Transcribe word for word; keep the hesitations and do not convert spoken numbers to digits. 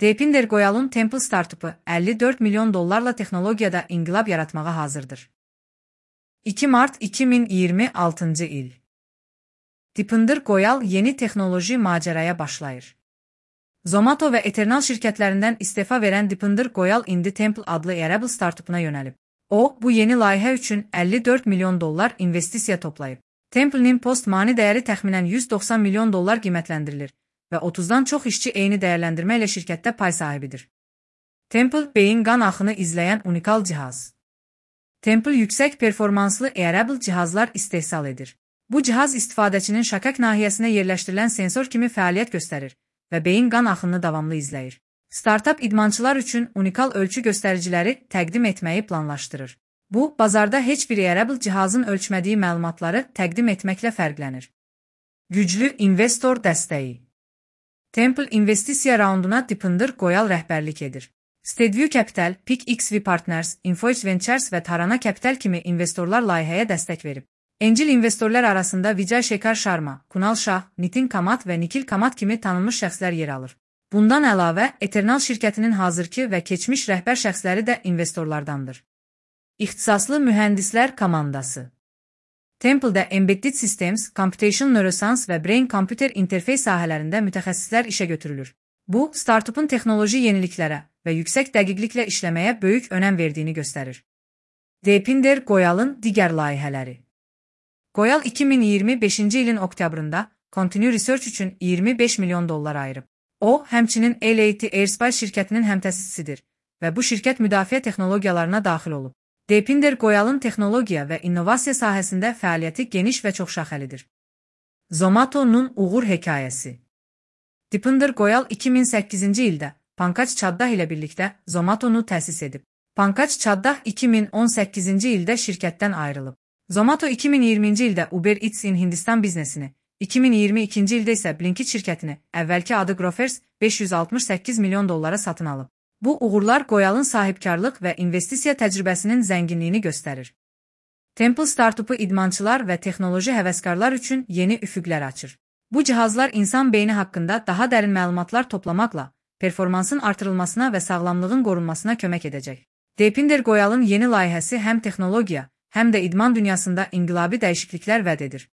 Deepinder Goyal'ın Temple startupı əlli dörd milyon dollarla texnologiyada inqilab yaratmağa hazırdır. iki Mart iki min iyirmi altıncı il. Deepinder Goyal yeni texnoloji maceraya başlayır. Zomato və Eternal şirkətlərindən istefa verən Deepinder Goyal indi Temple adlı Wearable startupuna yönəlib. O, bu yeni layihə üçün əlli dörd milyon dollar investisiya toplayıb. Temple'nin post-money dəyəri təxminən yüz doxsan milyon dollar qiymətləndirilir və otuzdan çox işçi eyni dəyərləndirmə ilə şirkətdə pay sahibidir. Temple, beyin qan axını izləyən unikal cihaz. Temple yüksək performanslı wearable cihazlar istehsal edir. Bu cihaz istifadəçinin şakak nahiyəsinə yerləşdirilən sensor kimi fəaliyyət göstərir və beyin qan axınını davamlı izləyir. Startup idmançılar üçün unikal ölçü göstəriciləri təqdim etməyi planlaşdırır. Bu, bazarda heç bir wearable cihazın ölçmədiyi məlumatları təqdim etməklə fərqlənir. Güclü investor dəstəyi. Temple investisiya raunduna Deepinder Goyal rəhbərlik edir. Steadview Capital, PicXV Partners, Infoedge Ventures və Tarana Capital kimi investorlar layihəyə dəstək verib. Angel investorlar arasında Vijay Shekhar Sharma, Kunal Shah, Nitin Kamat və Nikhil Kamat kimi tanınmış şəxslər yer alır. Bundan əlavə, Eternal şirkətinin hazırki və keçmiş rəhbər şəxsləri də investorlardandır. İxtisaslı mühəndislər komandası. Temple'da Embedded Systems, Computation Neuroscience və Brain-Computer Interface sahələrində mütəxəssislər işə götürülür. Bu, startupun texnoloji yeniliklərə və yüksək dəqiqliklə işləməyə böyük önəm verdiyini göstərir. Deepinder Goyal'ın digər layihələri. Goyal iki min iyirmi beşinci ilin oktyabrında Continue Research üçün iyirmi beş milyon dollar ayırıb. O, həmçinin L A T Aerospace şirkətinin həmtəsisidir və bu şirkət müdafiə texnologiyalarına daxil olub. Deepinder Goyal'ın texnologiya və innovasiya sahəsində fəaliyyəti geniş və çoxşaxəlidir. Zomato'nun uğur hekayəsi. Deepinder Goyal iki min səkkizinci ildə Pankaj Chaddah ilə birlikdə Zomato'nu təsis edib. Pankaj Chaddah iki min on səkkizinci ildə şirkətdən ayrılıb. Zomato iki min iyirminci ildə Uber Eats in Hindistan biznesini, iki min iyirmi ikinci ildə isə Blinkit şirkətini, əvvəlki adı Grofers, beş yüz altmış səkkiz milyon dollara satın alıb. Bu uğurlar Goyal'ın sahibkarlıq və investisiya təcrübəsinin zənginliyini göstərir. Temple startupu idmançılar və texnoloji həvəskarlar üçün yeni üfüqlər açır. Bu cihazlar insan beyni haqqında daha dərin məlumatlar toplamaqla performansın artırılmasına və sağlamlığın qorunmasına kömək edəcək. Deepinder Goyal'ın yeni layihəsi həm texnologiya, həm də idman dünyasında inqilabi dəyişikliklər vəd edir.